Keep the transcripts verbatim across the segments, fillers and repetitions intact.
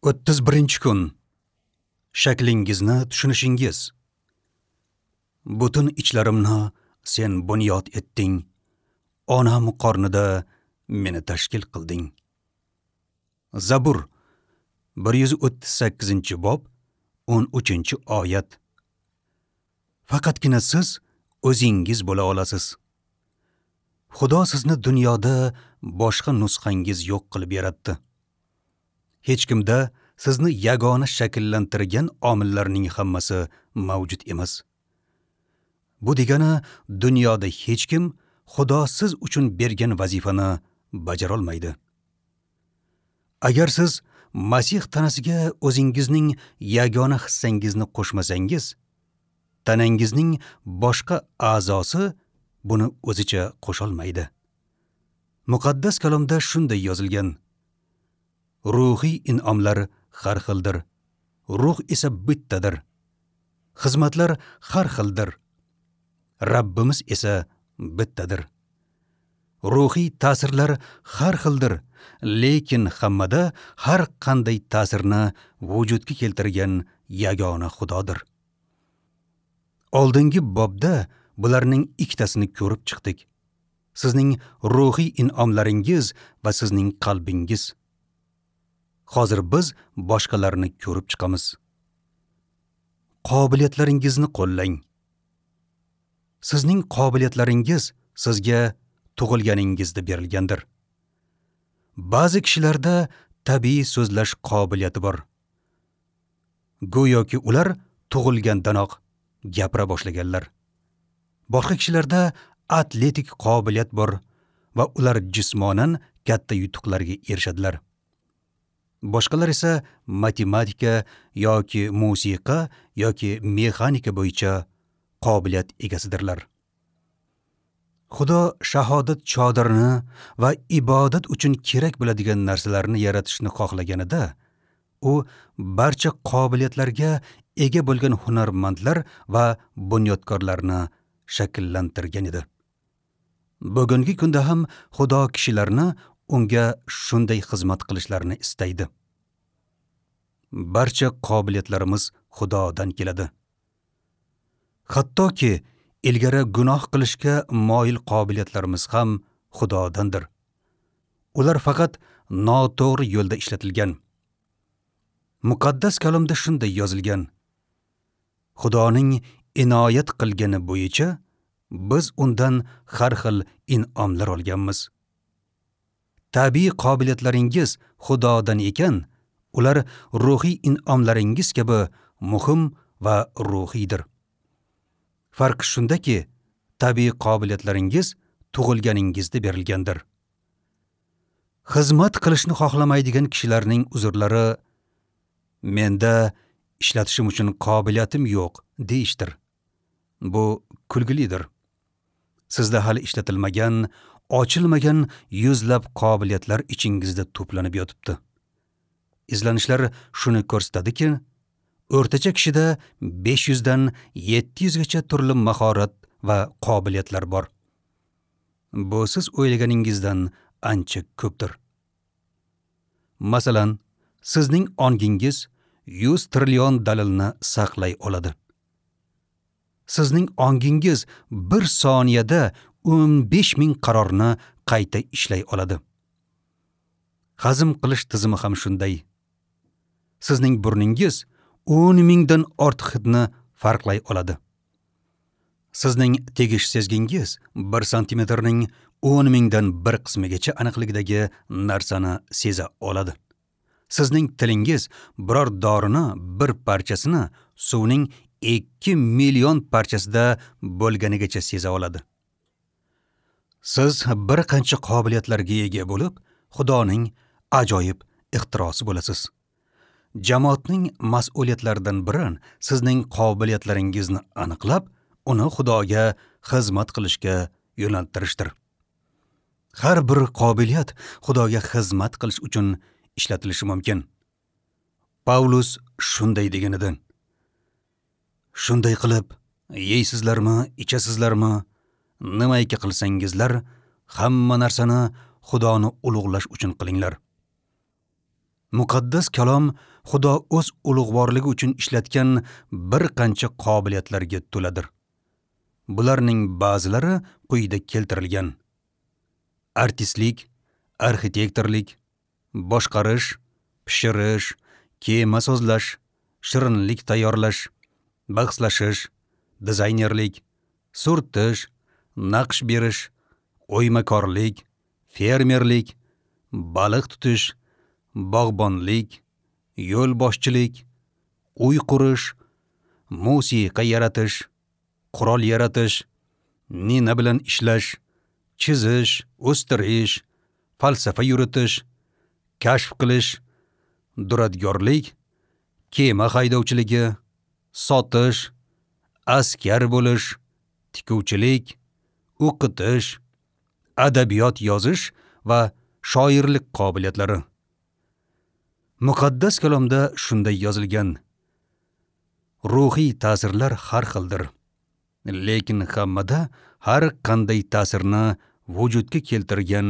o'ttiz birinchi kun. Shaklingizni tushunishingiz. Butun ichlarimni sen bunyod etding. Onam qornida meni tashkil qilding. Zabur bir yuz o'ttiz sakkizinchi bob o'n uchinchi oyat. Faqatgina siz o'zingiz bo'la olasiz. Xudo sizni dunyoda boshqa nusxangiz yo'q qilib yaratdi. Hech kimda sizni yagona shakllantirgan omillarning hammasi mavjud emas. Bu degani dunyoda hech kim Xudo siz uchun bergan vazifani bajara olmaydi. Agar siz Masih tanasiga o'zingizning yagona hissangizni qo'shmasangiz, tanangizning boshqa a'zosi buni o'zicha qo'sholmaydi. Muqaddas kalomda shunday yozilgan: ruhiy in'omlar har xildir, ruh esa bittadir. Xizmatlar har xildir, Rabbimiz esa bittadir. Ruhiy ta'sirlar har xildir, lekin hammada har qanday ta'sirni vujudga keltirgan yagona Xudodir. Oldingi bobda bularning ikkitasini ko'rib chiqdik. Sizning ruhiy in'omlaringiz va sizning qalbingiz. Hozir biz boshqalarni ko'rib chiqamiz. Qobiliyatlaringizni qo'llang. Sizning qobiliyatlaringiz sizga tug'ilganingizda berilgandir. Ba'zi kishilarda tabiiy so'zlash qobiliyati bor. Go'yoki ular tug'ilgandanoq gapira boshlaganlar. Boshqa kishilarda atletik qobiliyat bor va ular jismonan katta yutuqlarga erishadilar. Boshqalar esa matematika yoki musiqa yoki mexanika bo'yicha qobiliyat egasidirlar. Xudo shahodat chodirini va ibodat uchun kerak bo'ladigan narsalarni yaratishni xohlaganida, u barcha qobiliyatlarga ega bo'lgan hunarmandlar va bunyodkorlarni shakllantirgan edi. Bugungi kunda ham Xudo kishilarni unga shunday xizmat qilishlarini istaydi. Barcha qobiliyatlarimiz Xudodan keladi. Hattoki ilgari gunoh qilishga moyil qobiliyatlarimiz ham Xudodandir. Ular faqat noto'g'ri yo'lda ishlatilgan. Muqaddas kalomda shunday yozilgan: Xudoning inoyat qilgani bo'yicha biz undan har xil in'omlar olganmiz. Tabiiy qobiliyatlaringiz Xudodan ekan, ular ruhiy in'omlaringiz kabi muhim va ruhiydir. Farq shundaki, tabiiy qobiliyatlaringiz tug'ilganingizda berilgandir. Xizmat qilishni xohlamaydigan kishilarning uzrlari menda ishlatishim uchun qobiliyatim yo'q deyishdir. Bu kulgilidir. Sizda hali ishlatilmagan, ochilmagan yuzlab qobiliyatlar ichingizda to'planib yotibdi. Izlanishlar shuni ko'rsatadiki, o'rtacha kishida besh yuzdan yetti yuzgacha turli mahorat va qobiliyatlar bor. Bu siz o'ylaganingizdan ancha ko'pdir. Masalan, sizning ongingiz yuz trillion dalilni saqlay oladi. Sizning ongingiz bir soniyada o'n besh ming qarorni qayta ishlay oladi. Hazm qilish tizimi ham shunday. Sizning burningiz o'n mingdan ortiq hidni farqlay oladi. Sizning tegish sezgingiz bir santimetrning o'n mingdan bir qismigacha aniqligidagi narsani seza oladi. Sizning tilingiz biror dorini bir parchasini suvning ikki million parchasida bo'lganigacha seza oladi. Siz bir qancha qobiliyatlarga ega bo'lib, Xudoning ajoyib ixtirosi bo'lasiz. Jamoatning mas'uliyatlaridan biri sizning qobiliyatlaringizni aniqlab, uni Xudoga xizmat qilishga yo'naltirishdir. Har bir qobiliyat Xudoga xizmat qilish uchun ishlatilishi mumkin. Pavlus shunday degan edi: Shunday qilib, yeysizlarmi, ichasizlarmi, nimaiki qilsangizlar, hamma narsani Xudoni ulug'lash uchun qilinglar. Muqaddas kalom Xudo o'z ulug'vorligi uchun ishlatgan bir qancha qobiliyatlarga to'ladir. Bularning ba'zilari quyida keltirilgan: artistlik, arxitektorlik, boshqarish, pishirish, kema sozlash, shirinlik tayyorlash, bahslashish, dizaynerlik, surtish, naqsh berish, o'ymakorlik, fermerlik, baliq tutish, bog'bonlik, yo'lboshchilik, uy qurish, musiqa yaratish, qurol yaratish, nina bilan ishlash, chizish, o'stirish, falsafa yuritish, kashf qilish, duradgorlik, kema haydovchiligi, sotish, askar bo'lish, tikuvchilik, o'qitish, adabiyot yozish va shoirlik qobiliyatlari. Muqaddas kalomda shunday yozilgan: ruhiy ta'sirlar har xildir, lekin hammada har qanday ta'sirni vujudga keltirgan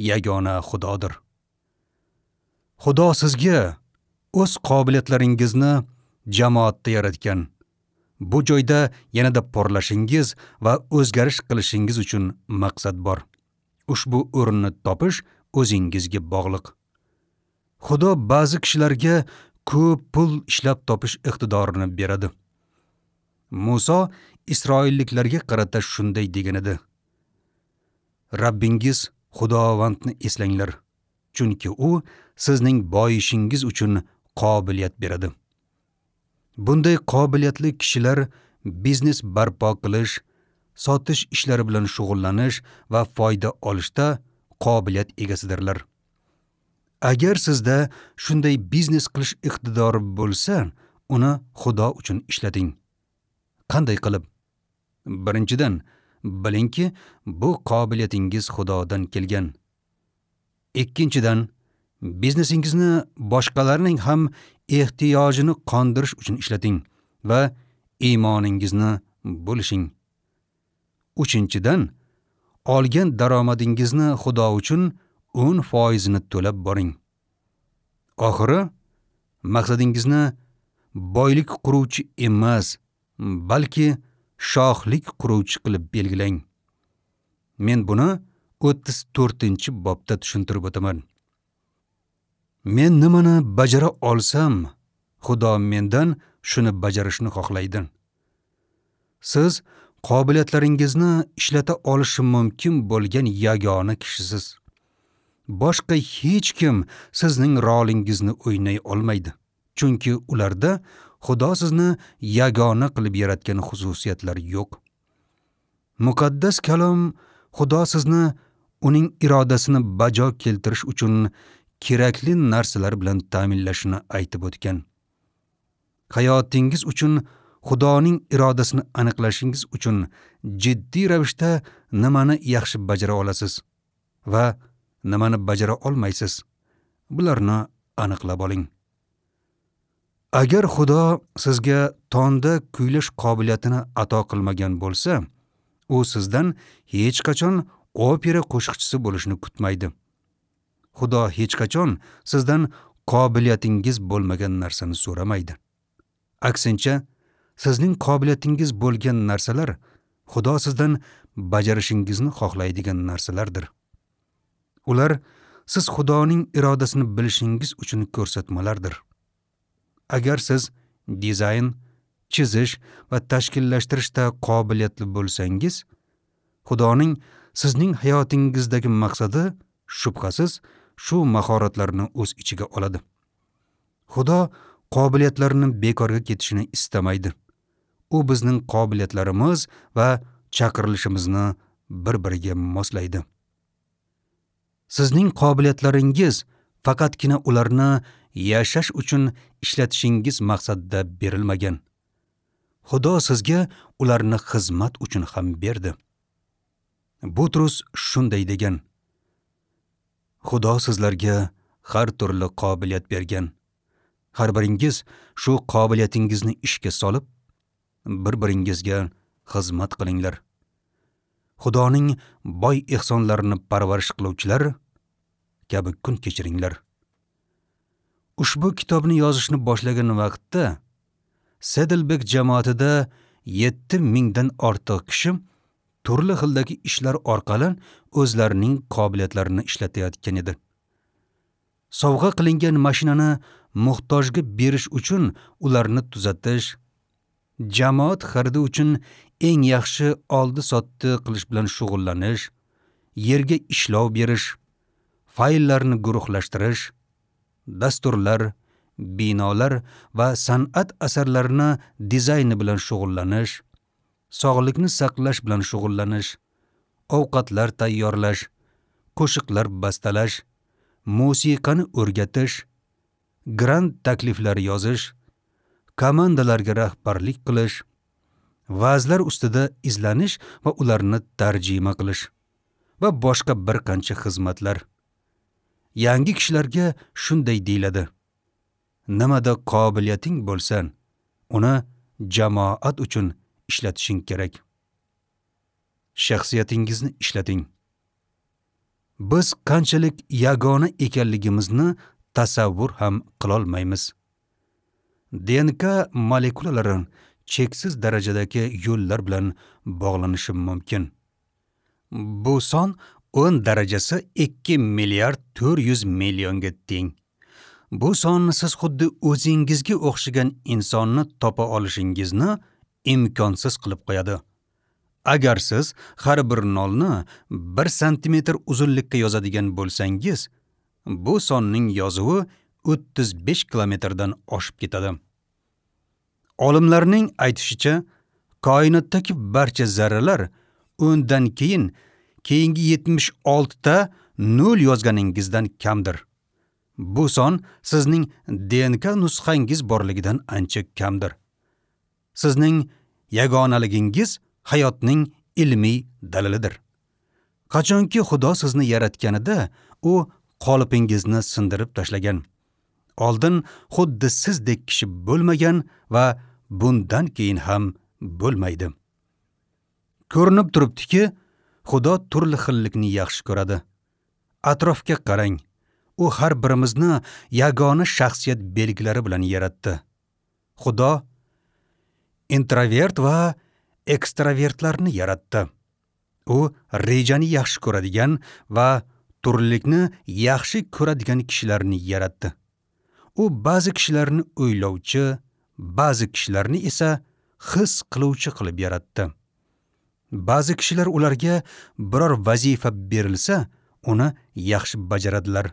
yagona Xudodir. Xudo sizga o'z qobiliyatlaringizni jamoatda yaratgan. Bu joyda yanada porlashingiz va o'zgarish qilishingiz uchun maqsad bor. Ushbu o'rinni topish o'zingizga bog'liq. Xudo ba'zi kishilarga ko'p pul ishlab topish iqtidorini beradi. Muso Isroilliklarga qarata shunday degan edi: Rabbingiz Xudovandni eslanglar, chunki u sizning boyishingiz uchun qobiliyat beradi. Bunday qobiliyatli kishilar biznes barpo qilish, sotish ishlari bilan shug'ullanish va foyda olishda qobiliyat egasidirlar. Agar sizda shunday biznes qilish iqtidori bo'lsa, uni Xudo uchun ishlating. Qanday qilib? Birinchidan, bilingki, bu qobiliyatingiz Xudodan kelgan. Ikkinchidan, biznesingizni boshqalarning ham ehtiyojini qondirish uchun ishlating va iymoningizni bo'lishing. Uchinchidan, olgan daromadingizni Xudo uchun o'n foizini to'lab boring. Oxiri, maqsadingizni boylik quruvchi emas, balki shohlik quruvchi qilib belgilang. Men buni o'ttiz to'rtinchi bobda tushuntirib o'taman. Men nimani bajara olsam, Xudo mendan shuni bajarishni xohlaydi. Siz qobiliyatlaringizni ishlata olishi mumkin bo'lgan yagona kishisiz. Boshqa hech kim sizning rolingizni o'ynay olmaydi, chunki ularda Xudo sizni yagona qilib yaratgan xususiyatlar yo'q. Muqaddas kalom Xudo sizni uning irodasini bajo keltirish uchun kerakli narsalar bilan ta'minlashini aytib o'tgan. Hayotingiz uchun Xudoning irodasini aniqlashingiz uchun jiddiy ravishda nimani yaxshi bajara olasiz va nimani bajara olmaysiz, bularni aniqlab oling. Agar Xudo sizga tonda kuylash qobiliyatini ato qilmagan bo'lsa, u sizdan hech qachon opera qo'shiqchisi bo'lishni kutmaydi. Xudo hech qachon sizdan qobiliyatingiz bo'lmagan narsani so'ramaydi. Aksincha, sizning qobiliyatingiz bo'lgan narsalar Xudo sizdan bajarishingizni xohlaydigan narsalardir. Ular siz Xudoning irodasini bilishingiz uchun ko'rsatmalardir. Agar siz dizayn, chizish va tashkillashtirishda qobiliyatli bo'lsangiz, Xudoning sizning hayotingizdagi maqsadi shubhasiz shu mahoratlarni o'z ichiga oladi. Xudo qobiliyatlarni bekorga ketishini istamaydi. U bizning qobiliyatlarimiz va chaqirilishimizni bir-biriga moslaydi. Sizning qobiliyatlaringiz faqatgina ularni yashash uchun ishlatishingiz maqsadida berilmagan. Xudo sizga ularni xizmat uchun ham berdi. Butrus shunday degan: Xudo sizlarga har turli qobiliyat bergan. Har biringiz shu qobiliyatingizni ishga solib, bir-biringizga xizmat qilinglar. Xudoning boy ehsonlarini parvarish qiluvchilar kabi kun kechiringlar. Ushbu kitobni yozishni boshlagan vaqtda Saddleback jamoatida yetti mingdan ortiq kishi turli xildagi ishlar orqali o'zlarining qobiliyatlarini ishlatayotgan edi. Sovg'a qilingan mashinani muhtojga berish uchun ularni tuzatish, jamoat xaridi uchun eng yaxshi oldi-sotdi qilish bilan shug'ullanish, yerga ishlov berish, fayllarni guruhlashtirish, dasturlar, binolar va san'at asarlarini dizayni bilan shug'ullanish, sog'likni saqlash bilan shug'ullanish, ovqatlar tayyorlash, qo'shiqlar bastalash, musiqani o'rgatish, grant takliflari yozish, komandalarga rahbarlik qilish, va'zlar ustida izlanish va ularni tarjima qilish va boshqa bir qancha xizmatlar. Yangi kishilarga shunday deyiladi: nimada qobiliyating bo'lsa, uni jamoat uchun ishlatishing kerak. Shaxsiyatingizni ishlating. Biz qanchalik yagona ekanligimizni tasavvur ham qilolmaymiz. D N K molekulalari cheksiz darajadagi yo'llar bilan bog'lanishi mumkin. Bu son o'n darajasi ikki milliard to'rt yuz millionga teng. Bu son siz xuddi o'zingizga o'xshagan insonni topa olishingizni imkonsiz qilib qo'yadi. Agar siz har bir nolni bir santimetr uzunlikka yozadigan bo'lsangiz, bu sonning yozuvi o'ttiz besh kilometrdan oshib ketadi. Olimlarning aytishicha, koinotdagi barcha zarralar o'ndan keyin keyingi yetmish oltita nol yozganingizdan kamdir. Bu son sizning D N K nusxangiz borligidan ancha kamdir. Sizning yagonaligingiz hayotning ilmiy dalilidir. Qachonki Xudo sizni yaratganida, u qolipingizni sindirib tashlagan. Oldin xuddi sizdek kishi bo'lmagan va bundan keyin ham bo'lmaydi. Ko'rinib turibdiki, Xudo turli xillikni yaxshi ko'radi. Atrofga qarang. U har birimizni yagona shaxsiyat belgilari bilan yaratdi. Xudo introvert va ekstravertlarni yaratdi. U rejani yaxshi ko'radigan va turlilikni yaxshi ko'radigan kishilarni yaratdi. U ba'zi kishilarni o'ylovchi, ba'zi kishilarni esa his qiluvchi qilib yaratdi. Ba'zi kishilar ularga biror vazifa berilsa, uni yaxshi bajaradilar.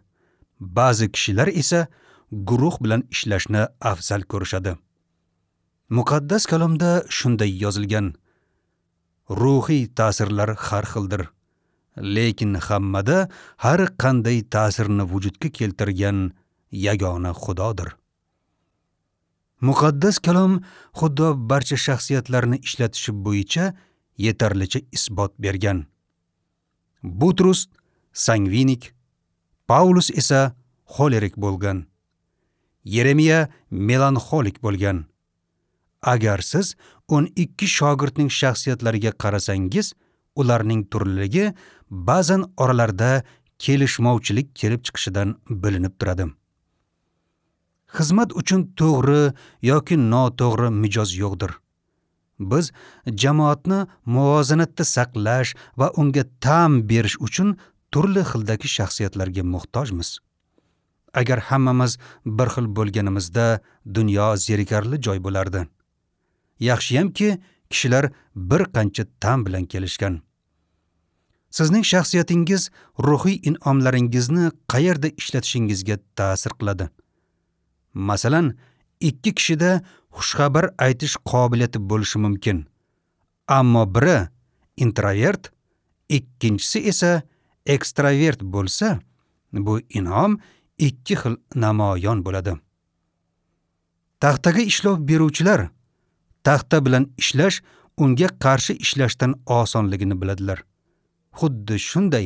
Ba'zi kishilar esa guruh bilan ishlashni afzal ko'rishadi. Muqaddas kalomda shunday yozilgan: ruhiy ta'sirlar har xildir, lekin hammada har qanday ta'sirni vujudga keltirgan yagona Xudodir. Muqaddas kalom Xudo barcha shaxsiyatlarni ishlatishi bo'yicha yetarlicha isbot bergan. Butrus sangvinik, Paulus esa xolerik bo'lgan. Yeremiya melanxolik bo'lgan. Agar siz o'n ikki shogirdning shaxsiyatlariga qarasangiz, ularning turliligi ba'zan oralarida kelishmovchilik kelib chiqishidan bilinib turadi. Xizmat uchun to'g'ri yoki noto'g'ri mijoz yo'qdir. Biz jamoatni muvozanatda saqlash va unga ta'm berish uchun turli xildagi shaxsiyatlarga muhtojmiz. Agar hammamiz bir xil bo'lganimizda dunyo zerikarli joy bo'lardi. Yaxshiyamki, kishilar bir qancha ta'm bilan kelishgan. Sizning shaxsiyatingiz ruhiy in'omlaringizni qayerda ishlatishingizga ta'sir qiladi. Masalan, ikki kishida xushxabar aytish qobiliyati bo'lishi mumkin. Ammo biri introvert, ikkinchisi esa ekstravert bo'lsa, bu in'om ikki xil namoyon bo'ladi. Taxtaga ishlov beruvchilar taxta bilan ishlash unga qarshi ishlashdan osonligini biladilar. Xuddi shunday,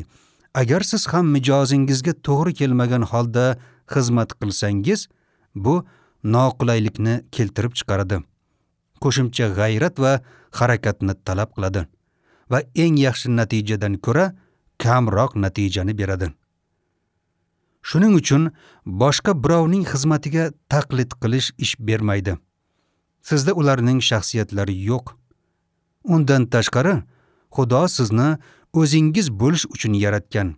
agar siz ham mijozingizga to'g'ri kelmagan holda xizmat qilsangiz, bu noqulaylikni keltirib chiqaradi. Qo'shimcha g'ayrat va harakatni talab qiladi va eng yaxshi natijadan ko'ra kamroq natijani beradi. Shuning uchun boshqa birovning xizmatiga taqlid qilish ish bermaydi. Sizda ularning shaxsiyatlari yo'q. Undan tashqari, Xudo sizni o'zingiz bo'lish uchun yaratgan.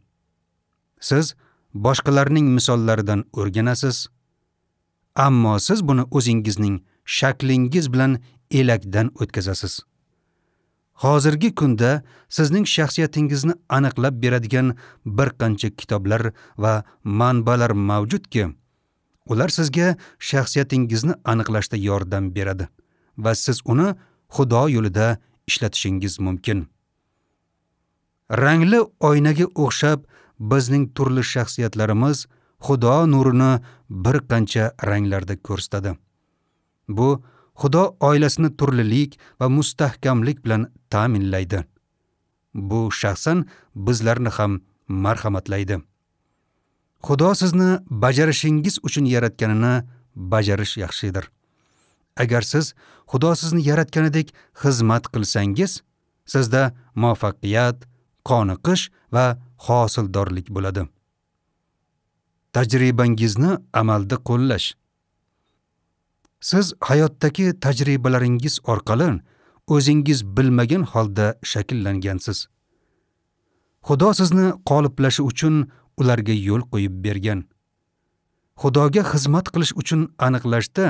Siz boshqalarning misollaridan o'rganasiz, ammo siz buni o'zingizning shaklingiz bilan elakdan o'tkazasiz. Hozirgi kunda sizning shaxsiyatingizni aniqlab beradigan bir qancha kitoblar va manbalar mavjudki, ular sizga shaxsiyatingizni aniqlashda yordam beradi va siz uni Xudo yo'lida ishlatishingiz mumkin. Rangli oynaga o'xshab bizning turli shaxsiyatlarimiz Xudo nurini bir qancha ranglarda ko'rsatadi. Bu Xudo oilasini turlilik va mustahkamlik bilan ta'minlaydi. Bu shaxsan bizlarni ham marhamatlaydi. Xudo sizni bajarishingiz uchun yaratganini bajarish yaxshidir. Agar siz Xudo sizni yaratganidek xizmat qilsangiz, sizda muvaffaqiyat, qoniqish va hosildorlik bo'ladi. Tajribangizni amalda qo'llash. Siz hayotdagi tajribalaringiz orqali o'zingiz bilmagan holda shakllangansiz. Xudo sizni qoliplashi uchun ularga yo'l qo'yib bergan. Xudoga xizmat qilish uchun aniqlashda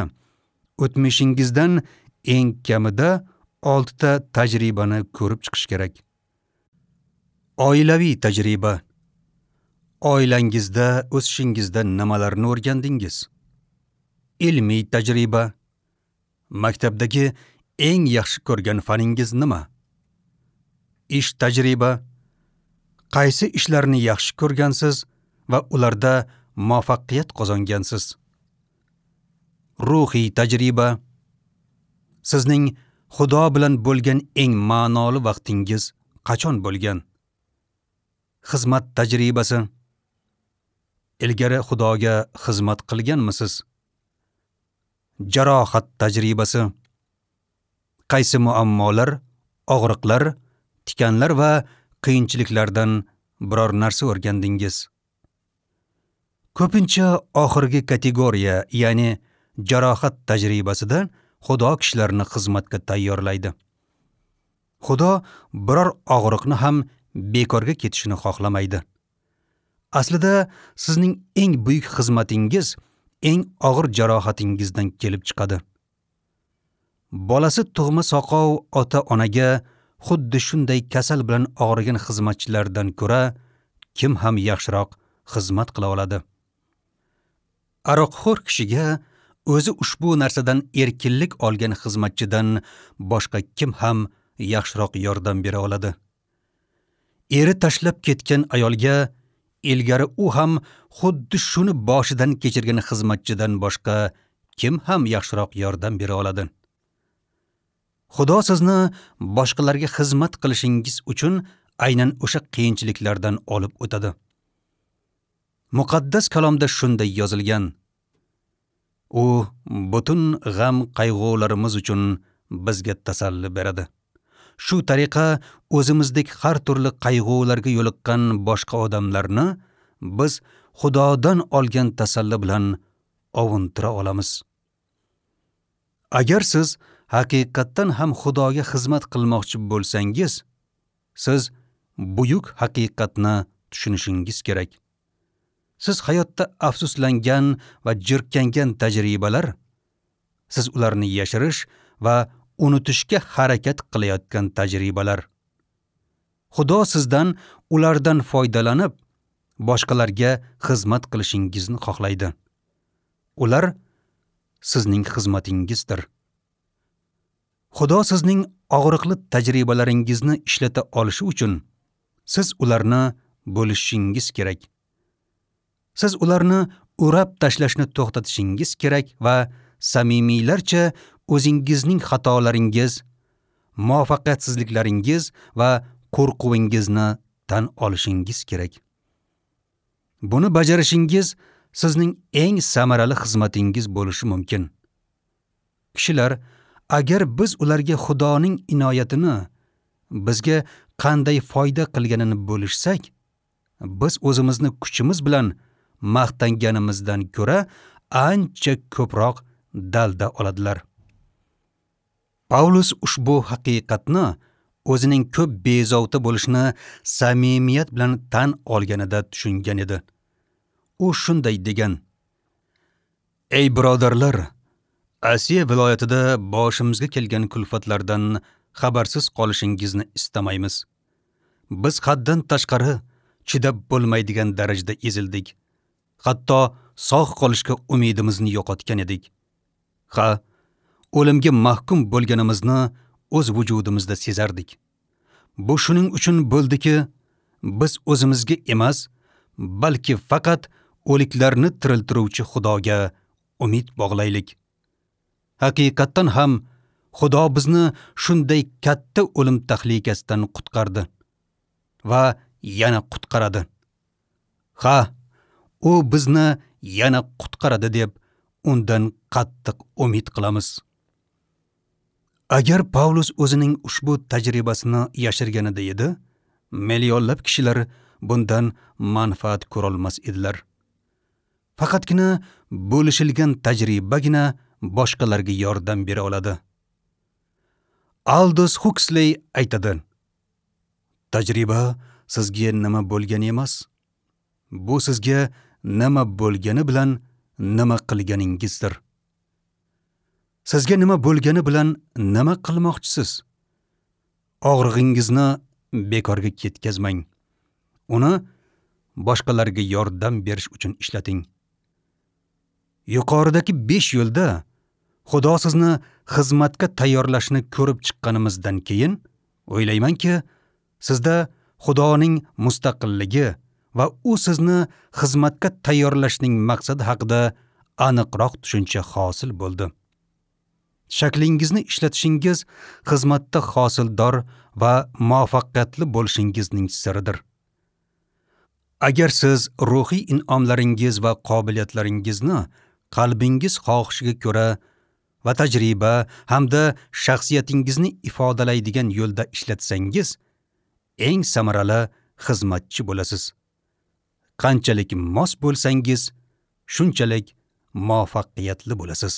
o'tmishingizdan eng kamida oltita tajribani ko'rib chiqish kerak. Oilaviy tajriba. Oilangizda o'sishingizda nimalarni o'rgandingiz? Ilmiy tajriba. Maktabdagi eng yaxshi ko'rgan faningiz nima? Ish tajriba. Qaysi ishlarni yaxshi ko'rgansiz va ularda muvaffaqiyat qozongansiz? Ruhiy tajriba. Sizning Xudo bilan bo'lgan eng ma'noli vaqtingiz qachon bo'lgan? Xizmat tajribasi. Ilgari Xudoga xizmat qilganmisiz? Jarohat tajribasi. Qaysi muammolar, og'riqlar, tikanlar va qiyinchiliklardan biror narsa o'rgandingiz? Ko'pincha oxirgi kategoriya, ya'ni jarohat tajribasida Xudo kishilarni xizmatga tayyorlaydi. Xudo biror og'riqni ham bekorga ketishini xohlamaydi. Aslida sizning eng buyuk xizmatingiz eng og'ir jarohatingizdan kelib chiqadi. Bolasi tug'ma soqov ota-onaga xuddi shunday kasal bilan og'rigan xizmatchilardan ko'ra kim ham yaxshiroq xizmat qila oladi? Aroqxo'r kishiga o'zi ushbu narsadan erkinlik olgan xizmatchidan boshqa kim ham yaxshiroq yordam bera oladi? Eri tashlab ketgan ayolga ilgari u ham xuddi shuni boshidan kechirgan xizmatchidan boshqa kim ham yaxshiroq yordam bera oladi? Xudo sizni boshqalarga xizmat qilishingiz uchun aynan o'sha qiyinchiliklardan olib o'tadi. Muqaddas kalomda shunday yozilgan: U butun g'am qayg'ularimiz uchun bizga tasalli beradi. Shu tariqa o'zimizdek har turli qayg'ularga yo'liqqan boshqa odamlarni biz Xudodan olgan tasalli bilan ovuntira olamiz. Agar siz haqiqatdan ham Xudoga xizmat qilmoqchi bo'lsangiz, siz buyuk haqiqatni tushunishingiz kerak. Siz hayotda afsuslangan va jirkangan tajribalar, siz ularni yashirish va unutishga harakat qilayotgan tajribalar. Xudo sizdan ulardan foydalanib, boshqalarga xizmat qilishingizni xohlaydi. Ular sizning xizmatingizdir. Xudo sizning og'riqli tajribalaringizni ishlata olishi uchun siz ularni bo'lishingiz kerak. Siz ularni o'rab tashlashni to'xtatishingiz kerak va samimiylarcha o'zingizning xatolaringiz, muvaffaqiyatsizliklaringiz va qo'rquvingizni tan olishingiz kerak. Buni bajarishingiz sizning eng samarali xizmatingiz bo'lishi mumkin. Kishilar, agar biz ularga Xudoning inoyatini, bizga qanday foyda qilganini bo'lishsak, biz o'zimizni kuchimiz bilan maqtanganimizdan ko'ra ancha ko'proq dalda oladilar. Pavlus ushbu haqiqatni o'zining ko'p bezovta bo'lishini samimiyat bilan tan olganida tushungan edi. U shunday degan: Ey birodarlar, Asiya viloyatida boshimizga kelgan kulfatlardan xabarsiz qolishingizni istamaymiz. Biz haddan tashqari chidab bo'lmaydigan darajada ezildik. Hatto sog' qolishga umidimizni yo'qotgan edik. Ha, o'limga mahkum bo'lganimizni o'z vujudimizda sezardik. Bu shuning uchun bo'ldiki, biz o'zimizga emas, balki faqat o'liklarni tiriltiruvchi Xudoga umid bog'laylik. Haqiqatdan ham Xudo bizni shunday katta o'lim tahlikasidan qutqardi va yana qutqaradi. Ha, u bizni yana qutqaradi deb undan qattiq umid qilamiz. Agar Pavlus o'zining ushbu tajribasini yashirganida edi, millionlab kishilar bundan manfaat ko'rolmas edilar. Faqatgina bo'lishilgan tajribagina boshqalarga yordam bera oladi. Aldous Huxley aytadi: Tajriba sizga nima bo'lgani emas, bu sizga nima bo'lgani bilan nima qilganingizdir. Sizga nima bo'lgani bilan nima qilmoqchisiz? Og'rig'ingizni bekorga ketkazmang. Uni boshqalarga yordam berish uchun ishlating. Yuqoridagi besh yo'lda Xudo sizni xizmatga tayyorlashni ko'rib chiqqanimizdan keyin o'ylaymanki, sizda Xudoning mustaqilligi va u sizni xizmatga tayyorlashning maqsadi haqida aniqroq tushuncha hosil bo'ldi. Shaklingizni ishlatishingiz xizmatda hosildor va muvaffaqiyatli bo'lishingizning siridir. Agar siz ruhiy in'omlaringiz va qobiliyatlaringizni qalbingiz xohishiga ko'ra va tajriba hamda shaxsiyatingizni ifodalaydigan yo'lda ishlatsangiz, eng samarali xizmatchi bo'lasiz. Qanchalik mos bo'lsangiz, shunchalik muvaffaqiyatli bo'lasiz.